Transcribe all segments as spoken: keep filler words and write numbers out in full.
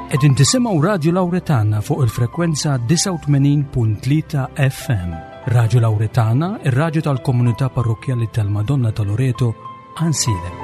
Qegħdin tisimgħu Radio Lauretana fuq il-frekwenza disgħa u tmenin punt tlieta F M. Radio Lauretana, ir-radju tal-komunità parrokkjali tal-Madonna ta' Loreto, Għajnsielem.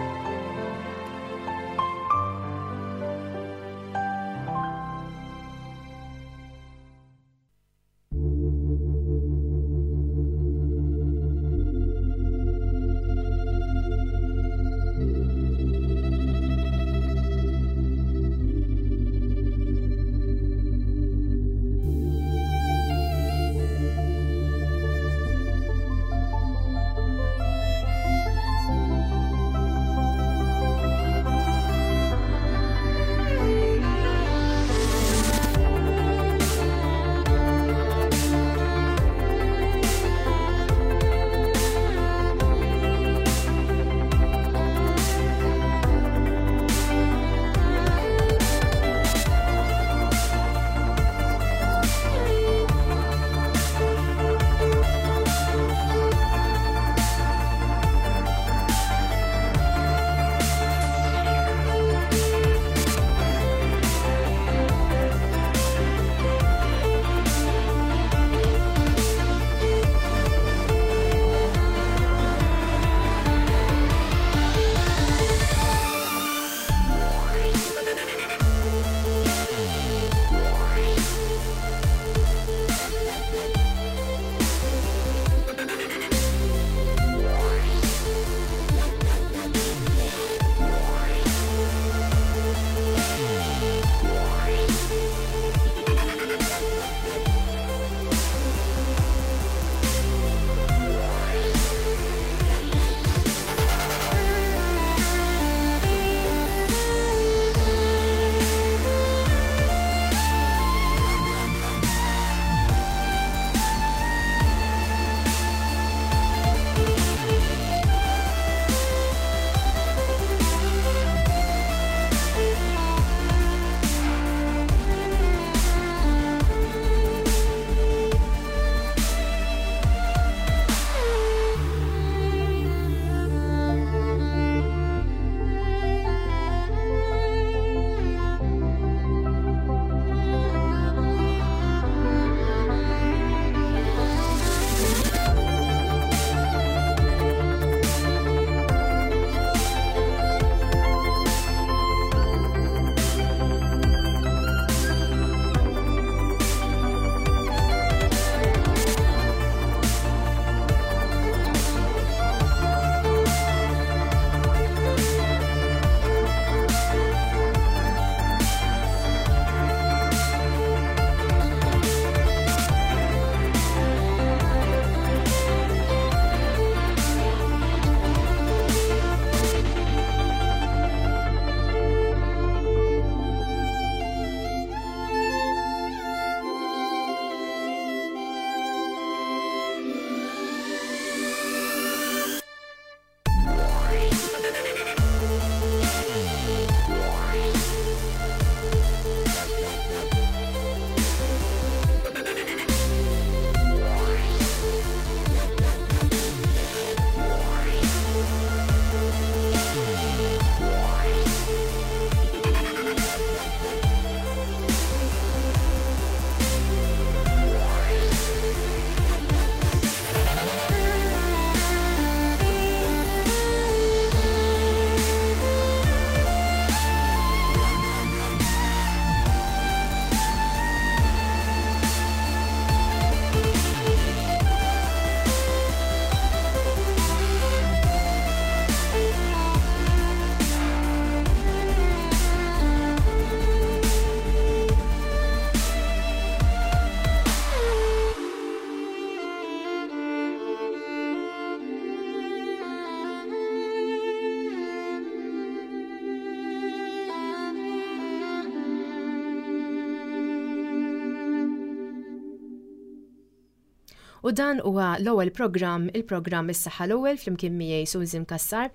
U dan huwa l-ewwel programm, il-programm Is-Saħħa l-Ewwel, flimkien miegħi Susan Kassar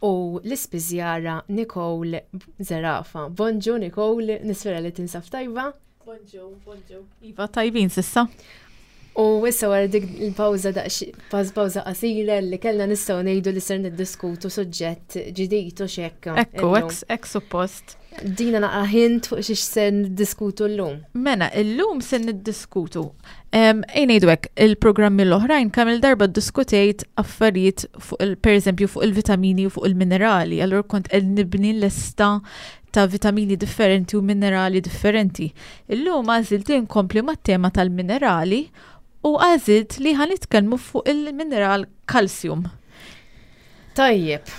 u l-ispiżjara Nicole Zerafa. Bonġu Nicole, nispera li tinsab tajba. Bonġu, bonġu. Iva, tajbin s'issa. U issa wara dik il-pawża, daqs pawża qasira li kellna, nistgħu ngħidu li ser niddiskutu suġġett ġdid u xekka. Ekku, hekk suppost. Dina naqra hint fuq xiex se niddiskutu llum. Mela, illum se niddiskutu. Ejja ngħidu hekk, il-programmi l-oħrajn kemm il-darba ddiskutejt affarijiet fuq il, per eżempju, fuq il-vitamini u fuq il-minerali. Allura kont qed nibni lista ta' vitamini differenti u minerali differenti. Illum għażilt li nkompli mat-tema tal-minerali u għażilt li ħa nitkellmu fuq il-mineral kalsjum. Tajjeb.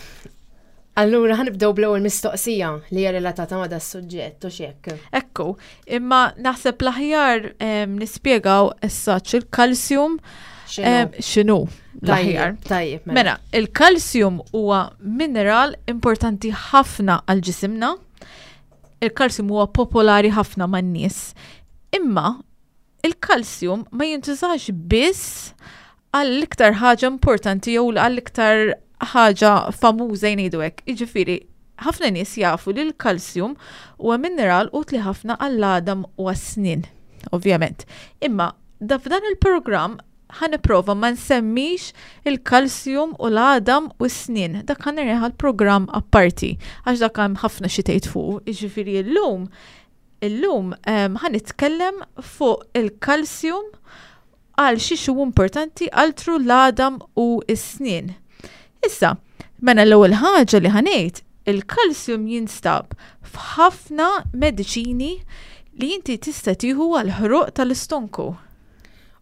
Allura ħa nibdew bl-ewwel mistoqsija li hija relatata ma' das-suġġett u x'hekk. Ekku, imma naħseb l-aħjar nispjegaw issa il-kalsjum x'inhu l-aħjar. Tajjeb, mela. Mela, il-kalsjum huwa mineral importanti ħafna għal ġisimna. Il-kalsjum huwa popolari ħafna man-nies. Imma il-kalsjum ma jintużax biss għall-iktar ħaġa importanti jew għall-iktar ħaġa famuża jgħidu hekk. Jiġifieri, ħafna nies jafu li l-kalsjum huwa mineral utli ħafna għall-għadam u għas-snien, ovvjament. Imma da f'dan il-programm ħa nipprova ma nsemmix il-kalsjum u l-għadam u s-snien. Dak ħa nreħa l-programm apparti, għax dak hemm ħafna xi tgħid fuq. Jiġifieri llum, illum ħa nitkellem fuq il-kalsjum għal xiex hu importanti altru l-għadam u s-snien. Issa, mela l-ewwel ħaġa li ħa ngħid, il-kalsjum jinstab f'ħafna mediċini li inti tista' tieħu għal ħruq tal-istonku.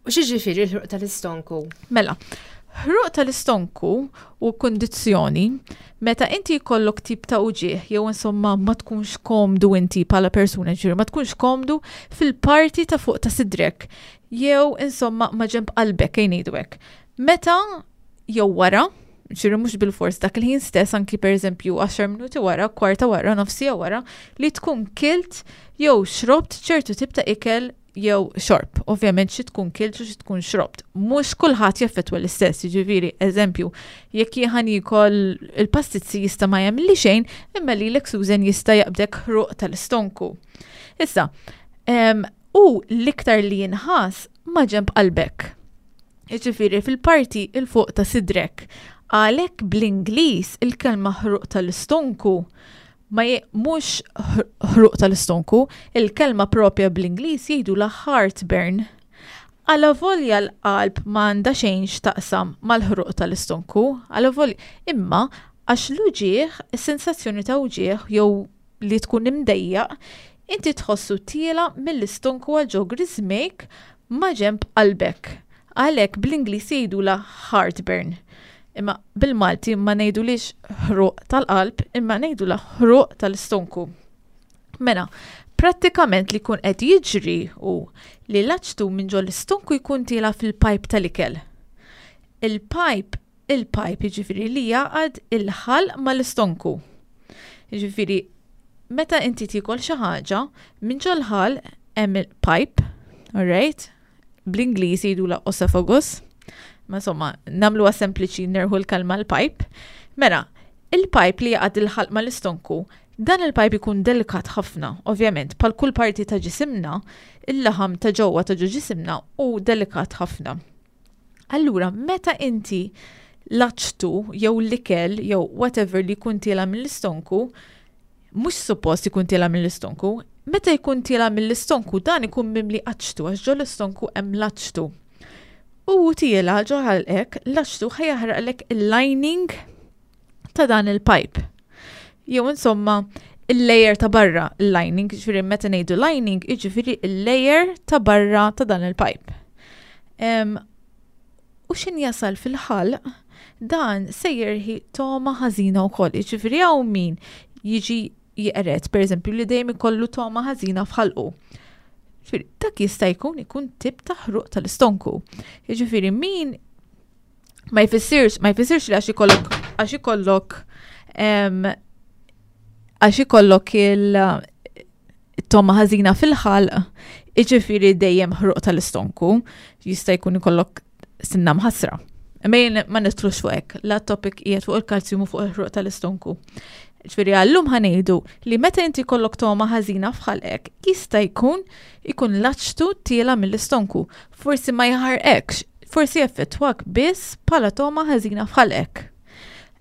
U x'jiġifieri l-ħruq tal-istonku? Mela, ħruq tal-istonku u kundizzjoni meta inti jkollok tip ta' uġigħ jew insomma ma tkunx komdu inti bħala persuna, ġifieri ma tkunx komdu fil-parti ta' fuq ta' sidrek jew insomma ma' ġenb qalbek ejja ngħidu hekk. Meta jew wara, ġifieri mhux bil-fors dak il-ħin stess, anki per eżempju għaxar minuti wara, kwarta wara, nofs siegħa wara, li tkun kilt jew xrobt ċertu tip ta' ikel jew xorb. Ovvjament xi tkun kilt u xi tkun xrobt. Mhux kulħadd jaffettwa l-istess, jiġifieri, eżempju, jekk jien ħa niekol il-pastizzi jista' ma jagħmilli xejn, imma lilek Susan jista' jaqbdek ħruq tal-istonku. Issa, em, u l-iktar li jinħass ma' ġenb qalbek. Jiġifieri fil-parti il fuq ta' sidrek. Għalhekk bl-Ingliż il-kelma ħruq tal-istonku ma je-, mhux ħruq tal-istonku, il-kelma propja bl-Ingliż jgħidu la heartburn. Għala volja l-qalb ma għandha xejn x'taqsam mal-ħruq tal-istonku, għala volja, imma għax l-uġigħ, is-sensazzjoni ta' uġigħ jew li tkun imdejjaq, inti tħossu tiela mill-istonku għal ġo griżmejk ma' ġenb qalbek. Għalhekk bl-Ingliż jgħidu la heartburn. Imma bil-Malti ma ngħidulix ħruq tal-qalb, imma ngħidula ħruq tal-istonku. Mela, prattikament li jkun qed jiġri hu li l-aċtu minn ġol istonku jkun tiela fil-pajp tal-ikel. Il-pajp, il-pajp jiġifieri li jaqad il-ħalq mal-istonku. Jiġifieri, meta inti tiekol xi ħaġa, minn ġol ħalq hemm il-pajp, all right? Bl-Ingliż jgħidula esophagus. Ma insomma, nagħmluha sempliċi nerħu l-kalma l-pajp. Mela, il-pajp li jaqad il-ħalq mal-istonku, dan il-pajp ikun delikat ħafna, ovvjament, bħal kull parti ta' ġisimna, il-laħam ta' ġewwa ta' ġo ġisimna u delikat ħafna. Allura, meta inti l-aċtu jew l-ikel jew whatever li jkun tiela mill-istonku, mhux suppost ikun tiela mill-istonku, meta jkun tiela mill-istonku dan ikun mimli aċtu, għax ġo l-istonku hemm l-aċtu. U tiela ġo ħalqek, l-aċtu ħa jaħraqlek il-lining ta' dan il-pipe. Jew insomma, il-layer ta' barra, il-lining, ġifieri meta ngħidu lining, jiġifieri il-layer ta' barra ta' dan il-pipe. Em, u x'ħin jasal fil-ħalq, dan se jerħi togħma ħażina wkoll. Jiġifieri hawn min jiġi jeqred, per eżempju, li dejjem ikollu togħma ħażina f'ħalqu. Ġifieri, dak jista' jkun ikun tip ta' ħruq tal-istonku. Jiġifieri min ma jfissirx, ma jfissirx li għax ikollok, għax ikollok, em, għax ikollok il-togħma ħażina fil-ħalq, jiġifieri dejjem ħruq tal-istonku, jista' jkun ikollok sinna mħassra. Imma jien ma nidħlux fuq hekk, la topic qiegħed fuq il-kalzjum u fuq il-ħruq tal-istonku. Ġifieri għallum ħa ngħidu li meta inti kollok togħma ħażina f'ħalqek, jista' jkun ikun l-aċtu tiela mill-istonku. Forsi ma jaħarqekx, forsi effettwak biss bħala togħma ħażina f'ħalqek.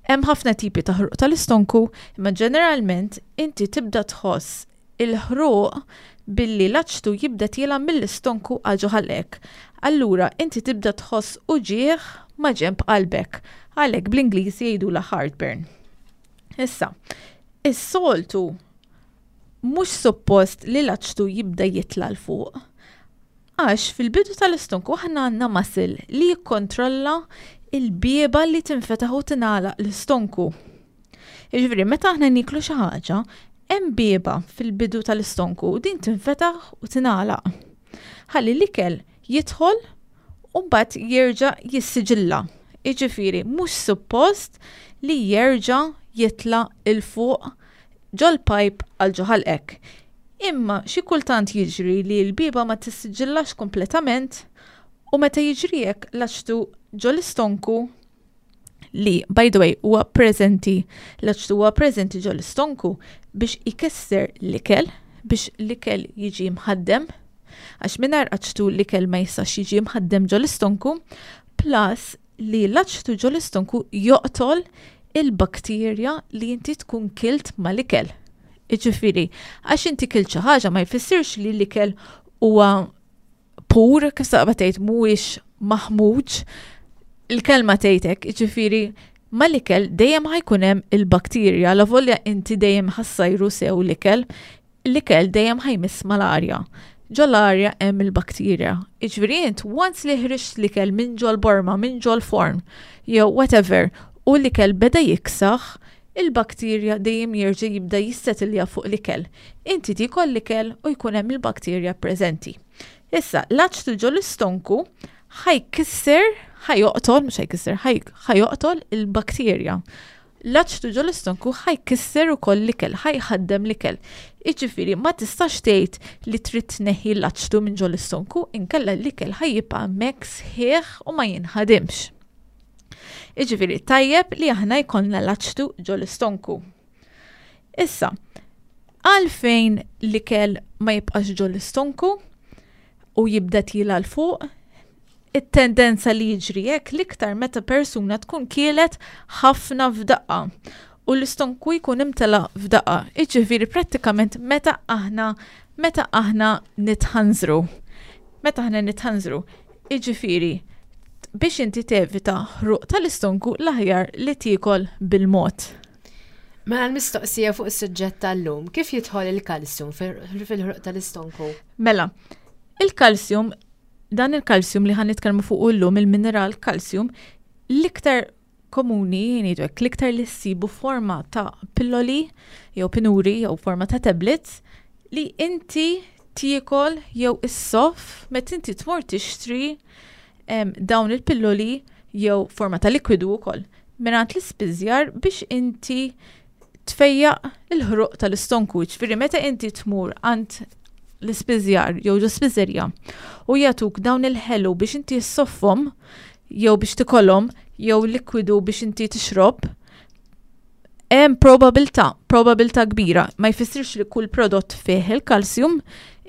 Hemm ħafna tipi ta' ħruq tal-istonku, imma ġeneralment inti tibda tħoss il-ħruq billi l-aċtu jibda tiela mill-istonku għal ġo ħalqek. Allura inti tibda tħoss uġigħ ma' ġenb qalbek. Għalhekk bl-Ingliż jgħidulha heartburn. Issa, is-soltu mhux suppost li l-aċtu jibda jitla' 'l fuq. Għax fil-bidu tal-istonku aħna għandna muscle li jikkontrolla il-bieba li tinfetaħ u tingħalaq l-istonku. Jiġifieri meta aħna niklu xi ħaġa, hemm bieba fil-bidu tal-istonku u din tinfetaħ u tingħalaq. Ħalli l-ikel jidħol u mbagħad jerġa' jissiġilla. Jiġifieri mhux suppost li jerġa' jitla' 'l fuq ġol-pipe għal ġo ħalqek. Imma xi kultant jiġri li l-bieba ma tissiġillax kompletament u meta jiġri hekk l-aċtu ġol-istonku li, by the way, huwa preżenti, l-aċtu huwa preżenti ġol-istonku biex ikisser l-ikel, biex l-ikel jiġi mħaddem, għax mingħajr aċtu l-ikel ma jistax jiġi mħaddem ġol-istonku, plus li l-aċtu ġol-istonku joqtol il-bakterja li inti tkun kilt mal-ikel. Jiġifieri, għax inti kilt xi ħaġa ma jfissirx li l-ikel huwa pur, kif saqba tgħid mhuwiex maħmuġ, il-kelma tgħidek, jiġifieri mal-ikel dejjem ħa jkun hemm il-bakterja, la volja inti dejjem ħa ssajru sew l-ikel, l-ikel dejjem ħa jmiss mal-arja. Ġol-arja hemm il-bakterja. Jiġifieri int once li ħriġt l-ikel minn ġol-borma, minn ġol-forn, jew whatever, u l-ikel beda jiksaħ, il-bakterja dejjem jerġa' jibda jissetilja fuq l-ikel. Inti tiekol l-ikel u jkun hemm il-bakterja preżenti. Issa, l-aċtu ġol-istonku ħa jkisser, ħa joqtol, mhux ħa jkisser, ħa joqtol il-bakterja. L-aċtu ġol-istonku ħa jkisser ukoll l-ikel, ħa jħaddem l-ikel. Jiġifieri, ma tistax tgħid li trid tneħħi l-aċtu minn ġol-istonku, inkella l-ikel ħa jibqa' hemmhekk sħiħ u ma jinħadimx. Jiġifieri, tajjeb li aħna jkollna l-aċtu ġol-istonku. Issa, għalfejn l-ikel ma jibqax ġol-istonku u jibda tiela' 'l fuq, it-tendenza li jiġri hekk l-iktar meta persuna tkun kielet ħafna f'daqqa u l-istonku jkun imtela f'daqqa. Jiġifieri prattikament meta aħna meta aħna nitħanżru. Meta aħna nitħanżru. Jiġifieri biex inti tevita ħruq tal-istonku l-aħjar li tiekol bil-mod. Mela l-mistoqsija fuq is-suġġett tal-lum, kif jidħol il-kalsjum fil-ħruq tal-istonku? Mela, il-kalsjum, dan il-kalsjum li ħa nitkellmu fuq illum, il-mineral kalsjum, l-iktar komuni, ngħidu hekk, l-iktar li ssibu forma ta' pilloli jew pinuri jew forma ta' tablets li inti tiekol jew issoff meta inti tmur tixtri dawn il-pilloli jew forma ta' likwidu wkoll mingħand l-ispiżjar biex inti tfejjaq il-ħruq tal-istonku. Ġifieri meta inti tmur għand l-ispiżjar jew ġo spiżerja u jagħtuk dawn il-ħelu biex inti ssoffhom jew biex tikolhom jew likwidu biex inti tixrob, hemm probabilità, probabilità kbira, ma jfissirx li kull prodott fih il-kalsjum,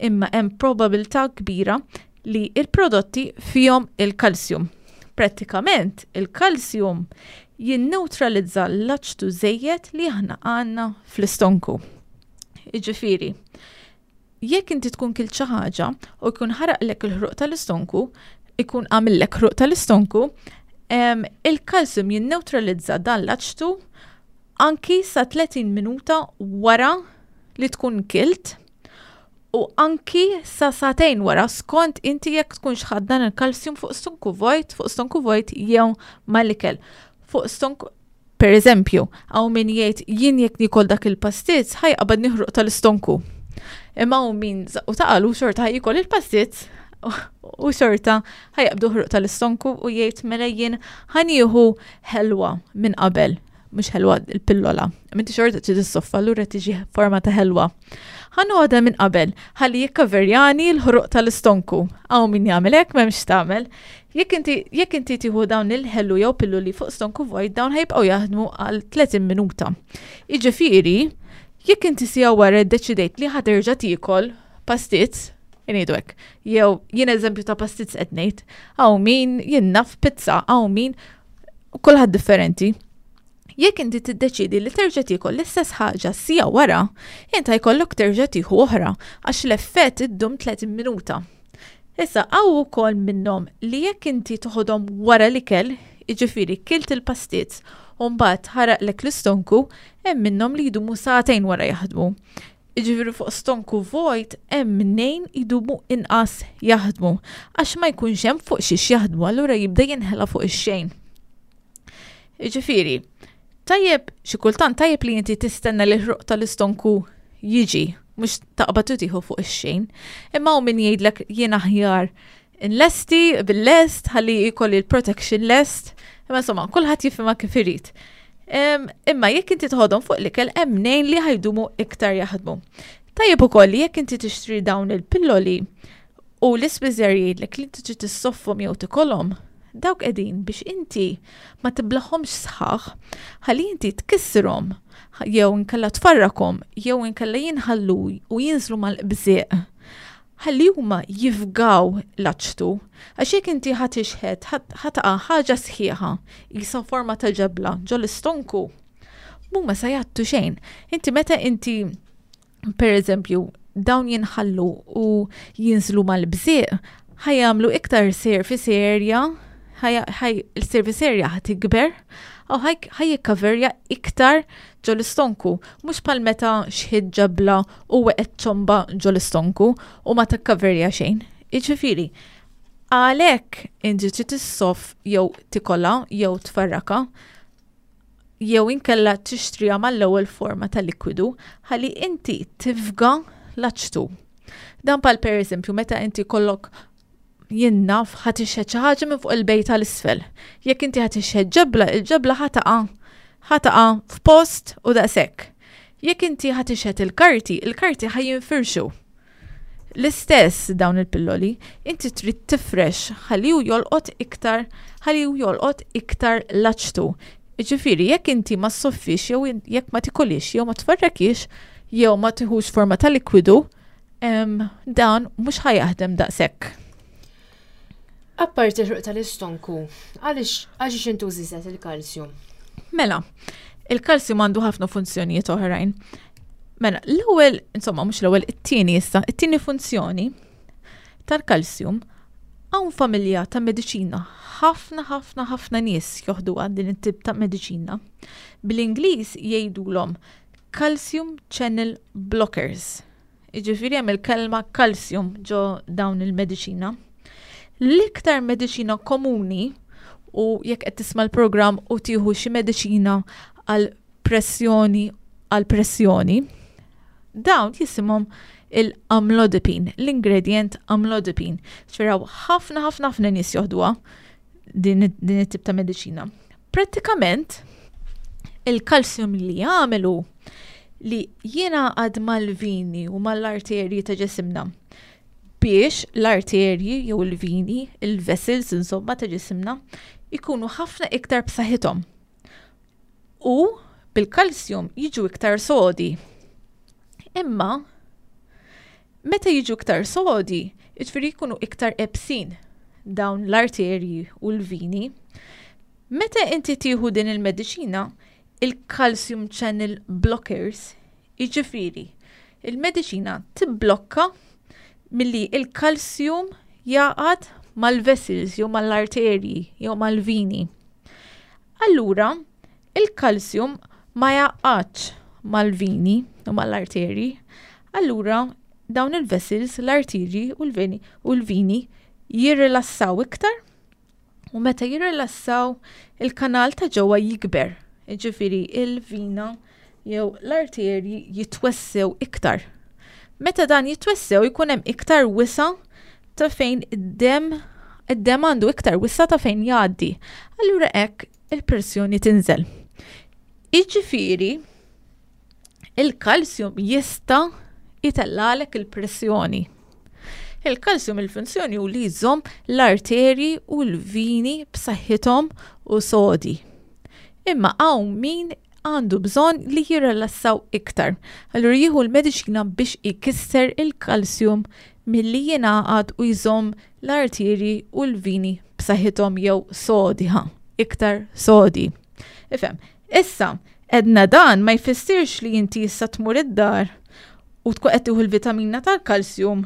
imma hemm probabilità kbira li il-prodotti fihom il-kalsjum. Prattikament il-kalsjum jinneutralizza l-aċtu żejjed li aħna għandna fl-istonku. Jiġifieri, jekk inti tkun kilt xi ħaġa u jkun ħaraqlek il-ħruq tal-istonku, ikun għamillek ħruq tal-istonku, il-kalsjum jinneutralizza dan l-aċtu anki sa tletin minuta wara li tkun kilt u anki sa sagħtejn wara skont inti jekk tkunx ħadt dan il-kalsjum fuq stonku vojt, fuq stonku vojt jew mal-ikel. Fuq stonku, per eżempju, hawn min jgħid jien jekk nikol dak il-pastizz ħa jqabadni ħruq tal-istonku. Imma hawn min u taqalu xorta ħa jikol il-pastizz u xorta ħa jaqbdu ħruq tal-istonku u jgħid mela jien ħa nieħu ħelwa minn qabel, mhux ħelwa il-pillola. Minti xorta trid issoffa, allura tiġi forma ta' ħelwa. Ħa noħodha minn qabel, ħalli jikkaverjani l-ħruq tal-istonku. Hawn min jagħmel hekk m'hemmx tagħmel. Jekk inti, jekk inti tieħu dawn il-ħelu jew pilloli fuq stonku vojt, dawn ħa jibqgħu jaħdmu għal tletin minuta. Jiġifieri, jekk inti sija wara ddeċidejt li ħa terġa' tiekol pastizz, ngħidu hekk, jew jien eżempju ta' pastizz qed ngħid, hawn min jien naf pizza, hawn min kulħadd differenti. Jekk inti tiddeċidi li terġa' tiekol l-istess ħaġa siegħa wara, inta jkollok terġa' tieħu oħra għax l-effett iddum tletin minuta. Issa hawn ukoll minnhom li jekk inti toħodhom wara l-ikel, jiġifieri kilt il-pastizz u mbagħad ħaraqlek l-istonku, hemm minnhom li jdumu sagħtejn wara jaħdmu. Jiġifieri fuq stonku vojt hemm mnejn idumu inqas jaħdmu għax ma jkunx hemm fuq xiex jaħdmu, allura jibda jinħela fuq ix-xejn. Jiġifieri, tajjeb xi kultant tajjeb li inti tistenna li l-ħruq tal-istonku jiġi, mhux taqbad u tieħu fuq ix-xejn. Imma hawn min jgħidlek jien aħjar nlesti bil-lest ħalli jkolli l-protection lest. Imma insomma, kulħadd jifhimha kif irid. Imma jekk inti toħodhom fuq l-ikel hemm mnejn li ħajdumu iktar jaħdmu. Tajjeb ukoll li jekk inti tixtri dawn il-pilloli u l-ispiżjar jgħidlek li inti trid tissoffhom jew tikolhom, dawk qegħdin biex inti ma tiblaħhomx sħaħ, ħalli inti tkissirhom jew inkella tfarrakhom jew inkella jinħallu u jinżlu mal-qbżieq. Ħalli huma jifgaw l-aċtu, għax jekk inti ħa tixħet, ħa taqa' ħaġa sħiħa, qisha forma ta' ġebla ġol istonku, mhuma sa jgħattu xejn. Inti meta inti, per eżempju, dawn jinħallu u jinżlu mal-bżieq, ħajamlu iktar surface area, il-surface area ħa tikber, u ħaj jikkaverja iktar ġol-istonku, mhux bħal meta xħid ġebla u weqgħet ċomba ġol-istonku u ma takkaverja xejn. Jiġifieri, għalhekk inti trid tissoff jew tikola jew tfarraka jew inkella tixtriha mal-ewwel forma ta' likwidu ħalli inti tifga l-aċtu. Dan pal per eżempju meta inti kollok jinnaf ħa tixħet xi ħaġa minn fuq il-bejta l-isfel. Jekk inti ħa tixħet ġebla, il-ġebla ħa taqa' ħa taqa' f'post u daqshekk. Jekk inti ħa tixħet il-karti, il-karti ħa jinfirxu. L-istess dawn il-pilloli, inti trid tifrex ħalli hu jolqot iktar, ħalli hu jolqot iktar l-aċtu. Jiġifieri, jekk inti ma ssoffix jew jekk ma tikolix jew ma tfarrakix jew ma tiħux forma ta' likwidu, dan mhux ħa jaħdem daqshekk. Apparti l-ħruq tal-istonku, għaliex għaliex intużi żed il-kalsju? Mela, il-kalsju għandu ħafna funzjonijiet oħrajn. Mela, l-ewwel, insomma, mhux l-ewwel, it-tieni issa, it-tieni funzjoni tal-kalsjum, hawn familja ta' mediċina, ħafna, ħafna, ħafna nies joħduha din it-tip ta' mediċina. Bl-Ingliż jgħidulhom calcium channel blockers. Jiġifieri hemm il-kelma calcium ġo dawn il-mediċina. L-iktar mediċina komuni, u jekk qed tisma' l-programm u tieħu xi mediċina għal pressjoni għal pressjoni, dawn jisimhom il-amlodipine, l-ingredient amlodipine. Ċfiraw ħafna, ħafna, ħafna nies joħduha din, din it-tip ta' mediċina. Prattikament, il-kalsjum li jagħmelu li jingħaqad mal-vini u mal-arterji ta' ġisimna biex l-arterji jew il-vini, il-vessels insomma ta' ġisimna, ikunu ħafna iktar b'saħħithom. U bil-kalsjum jiġu iktar sodi. Imma meta jiġu iktar sodi, jiġifieri jkunu iktar ebsin dawn l-arterji u l-vini. Meta inti tieħu din il-mediċina, il-calcium channel blockers, jiġifieri il-mediċina tibblokka milli il-kalsjum jaqgħad mal-vessels jew mal-arterji jew mal-vini. Allura, il-kalsjum ma jaqgħadx mal-vini u mal-arterji. Allura, dawn il-vessels, l-arterji u l-vini u l-vini jirrilassaw iktar u meta jirrilassaw il-kanal ta' ġewwa jikber. Jiġifieri il-vina jew l-arterji jitwessew iktar. Meta dan jitwessew jkun hemm iktar wisa ta' fejn id-demm, id-demm għandu iktar wisa ta' fejn jgħaddi. Allura hekk il-pressjoni tinżel. Jiġifieri il-kalsjum jista' jitellalek il-pressjoni. Il-kalsjum il-funzjoni hu li jżomm l-arterji u l-vini b'saħħithom u sodi. Imma hawn min għandu bżonn li jirrilassaw iktar. Allura jieħu l-mediċina biex ikisser il-kalsjum milli jingħaqad u jżomm l-arterji u l-vini b'saħħithom jew sodi, ha, iktar sodi. Ifhem, Issa, edna dan ma jfissirx li inti issa tmur id-dar u tkun qed tieħu l-vitamina tal-kalsjum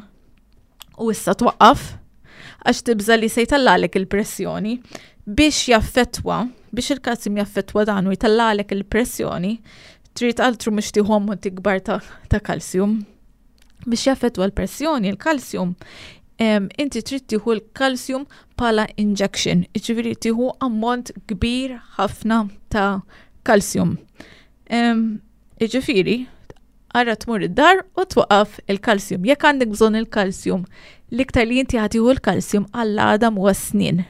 u issa twaqqaf għax tibża li se jtallalek il-pressjoni biex jaffettwa, biex il-kalsjum jaffettwa dan u jtallalek il-pressjoni, trid altru mhux tieħu ammonti kbar ta', ta kalsjum. Biex jaffettwa l-pressjoni, il-kalsjum, inti trid tieħu l-kalsjum bħala injection, jiġifieri tieħu ammont kbir ħafna ta' kalsjum. Jiġifieri, ara tmur id-dar u twaqqaf il-kalsjum. Jekk għandek bżonn il-kalsjum, l-iktar li inti ħa tieħu l-kalsjum għall-għadam u għas-snien.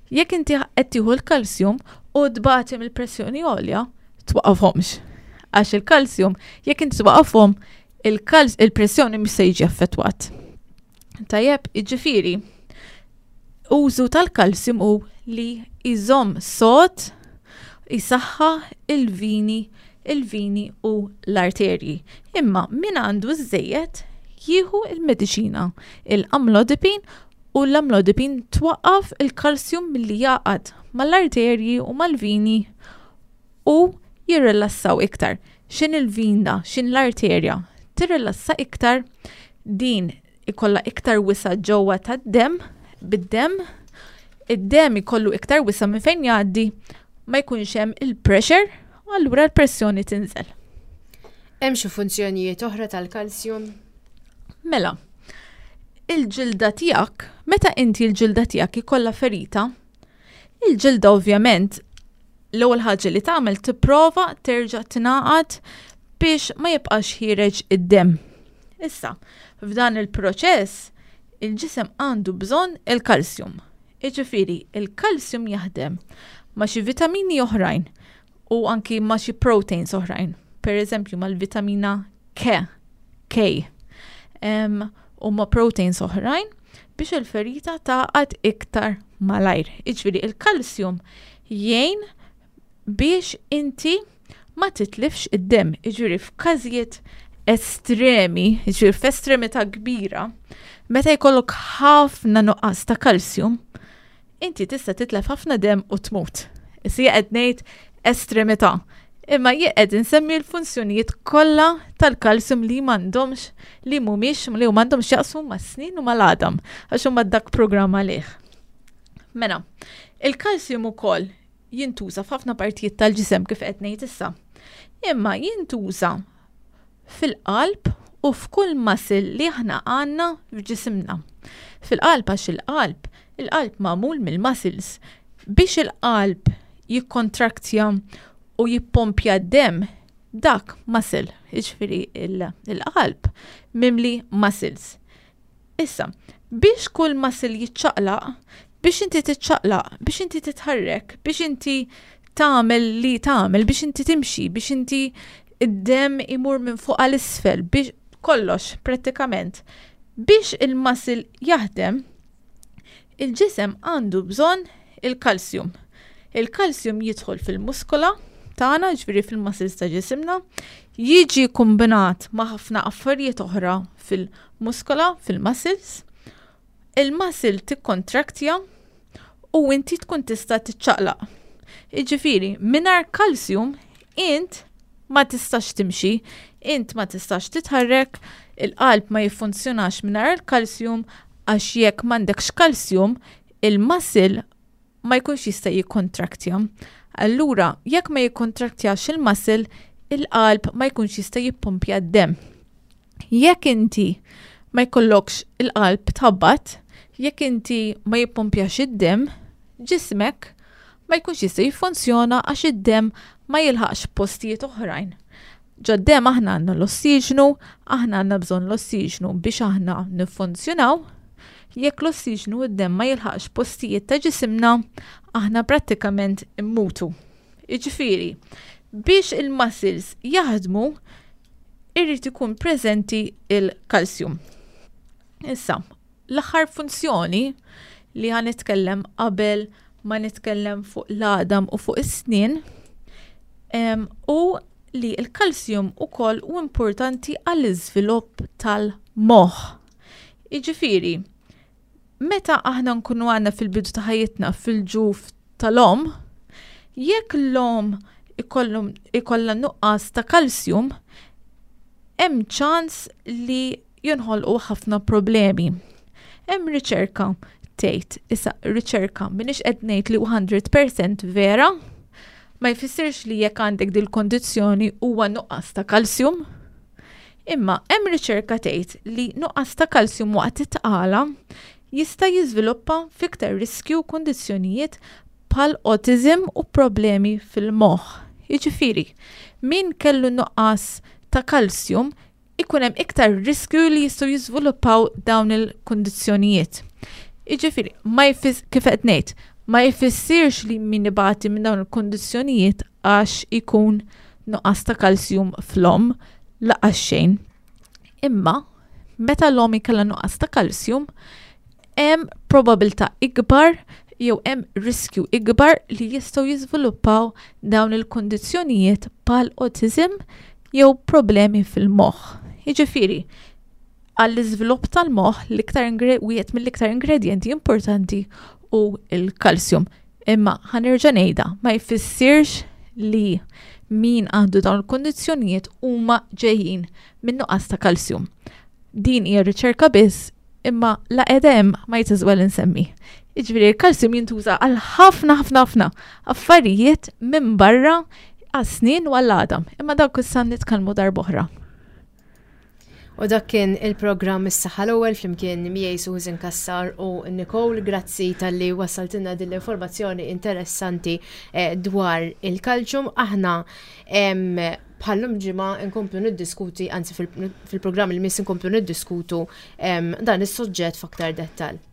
Jekk inti qed tieħu l-kalsjum u tbati mill-pressjoni għolja, twaqqafhomx. Għax il-kalsjum, jekk inti twaqqafhom, il-pressjoni mhux se jiġi affettwat. Tajjeb, jiġifieri, użu tal-kalsjum hu li jżomm sod, jisaħħa il-vini, il-vini u l-arterji. Imma min għandu żejjed jieħu il-mediċina, il-amlodipin, u l-amlodipin twaqqaf il-kalsjum milli jaqgħad mal-arterji u mal-vini u jirrilassaw iktar. Xin il-vina, xin l-arterja, tirrilassa iktar, din ikolla iktar wisa ġewwa tad-dem, bid-dem, id-dem ikollu iktar wisa minn fejn jgħaddi, ma jkunx hemm il-pressure, u allura l-pressjoni tinżel. Hemm xi funzjonijiet oħra tal-kalsjum? Mela, il-ġilda tiegħek, meta inti l-ġilda tiegħek ikollha ferita, il-ġilda ovvjament l-ewwel ħaġa li tagħmel tipprova terġa' tingħaqad biex ma jibqax ħiereġ id-dem. Issa, f'dan il-proċess, il-ġisem għandu bżonn il-kalsjum. Jiġifieri, il-kalsjum jaħdem ma' xi vitamini oħrajn u anki ma' xi proteins oħrajn. Per eżempju, mal-vitamina K, K. Em, u ma' proteins oħrajn biex il-ferita taqgħad iktar malajr. Jiġifieri, il-kalsjum jgħin biex inti ma titlifx id-dem. Jiġifieri, f'każijiet estremi, jiġifieri f'estremità kbira, meta jkollok ħafna nuqqas ta' kalsjum, inti tista' titlef ħafna dem u tmut. Issa qed ngħid estremità. Imma jien qed insemmi l-funzjonijiet kollha tal-kalsjum li m'għandhomx, li mhumiex, li m'għandhomx jaqsmu mas-snin u mal-għadam, għax huma dak programm għalih. Mela, il-kalsjum ukoll jintuża f'ħafna partijiet tal-ġisem kif qed ngħid issa. Imma jintuża fil-qalb u f'kull muscle li aħna għandna f'ġisimna. Fil-qalb għax il-qalb, il-qalb magħmul mill-muscles. Biex il-qalb jikkontraktja u jippompja d-dem, dak muscle, jiġifieri il-qalb mimli muscles. Issa, biex kull muscle jiċċaqlaq, biex inti tiċċaqlaq, biex inti titħarrek, biex inti tagħmel li tagħmel, biex inti timxi, biex inti id-dem imur minn fuq għal isfel, biex kollox prattikament. Biex il-muscle jaħdem, il-ġisem għandu bżonn il-kalsjum. Il-kalsjum jidħol fil-muskola tagħna, ġifieri fil-muscles ta' ġisimna, jiġi kombinat ma' ħafna affarijiet oħra fil-muskola, fil-muscles. Il-muscle tikkontraktja u inti tkun tista' tiċċaqlaq. Jiġifieri, mingħajr kalsjum int ma tistax timxi, int ma tistax titħarrek, il-qalb ma jiffunzjonax mingħajr il-kalsjum, għax jekk m'għandekx kalsjum, il-muscle ma jkunx jista' jikkontraktja. Allura, jekk ma jikkontraktjax il-muscle, il-qalb ma jkunx jista' jippompja d-dem. Jekk inti ma jkollokx il-qalb tħabbat, jekk inti ma jippompjax id-dem, ġismek ma jkunx jista' jiffunzjona għax id-dem ma jilħaqx postijiet oħrajn. Ġod-dem aħna għandna l-ossiġnu, aħna għandna bżonn l-ossiġnu biex aħna niffunzjonaw. Jekk l-ossiġnu id-dem ma jilħaqx postijiet ta' ġisimna, aħna prattikament immutu. Jiġifieri, biex il-muscles jaħdmu, irrid ikun preżenti il-kalsjum. Issa, l-aħħar funzjoni li ħa nitkellem qabel ma nitkellem fuq l-għadam u fuq is-snien, em, u li l-kalsjum ukoll hu importanti għall-iżvilupp tal-moħħ. Jiġifieri, meta aħna nkunu għandna fil-bidu ta' ħajjitna fil-ġuf tal-omm, jekk l-omm ikollha nuqqas ta' kalsjum, hemm ċans li jinħolqu ħafna problemi. Hemm riċerka tgħid, issa riċerka m'iniex qed ngħid li mija fil-mija vera, ma jfissirx li jekk għandek dil-kondizzjoni huwa nuqqas ta' kalsjum. Imma hemm riċerka tgħid li nuqqas ta' kalsjum waqt it-tqala jista' jiżviluppa f'iktar riskju kondizzjonijiet bħal autism u problemi fil-moħħ. Jiġifieri, min kellu nuqqas ta' kalsjum ikun hemm iktar riskju li jistgħu jiżviluppaw dawn il-kundizzjonijiet. Jiġifieri, ma jfis kif qed ngħid, ma jfissirx li min ibati minn dawn il-kundizzjonijiet għax ikun nuqqas ta' kalsjum fl-omm, lanqas xejn. Imma meta l-omm ikollha nuqqas ta' kalsjum, hemm probabilità ikbar jew hemm riskju ikbar li jistgħu jiżviluppaw dawn il-kundizzjonijiet bħal autism jew problemi fil-moħħ. Jiġifieri, għall-iżvilupp tal-moħħ l-iktar wieħed mill-iktar ingredjenti importanti hu il-kalsjum. Imma ħa nerġa' ngħidha, ma jfissirx li min għandu dawn il-kondizzjonijiet huma ġejjin minn nuqqas ta' kalsjum. Din hija riċerka biss, imma la edem might as well insemmi. Jiġifieri il-kalsjum jintuża għal ħafna ħafna ħafna affarijiet minn barra għas-snien u għall-għadam. Imma dak issa nitkellmu darb'oħra. U dak kien il-programm Is-Saħħa l-Ewwel flimkien miegħi Susan Cassar u Nicole. Grazzi talli wassaltilna din l-informazzjoni interessanti eh, dwar il-kalċum. Aħna bħal-lum ġimgħa nkomplu niddiskuti, anzi fil-programm il-miss nkomplu niddiskutu dan is-suġġett f'aktar dettal.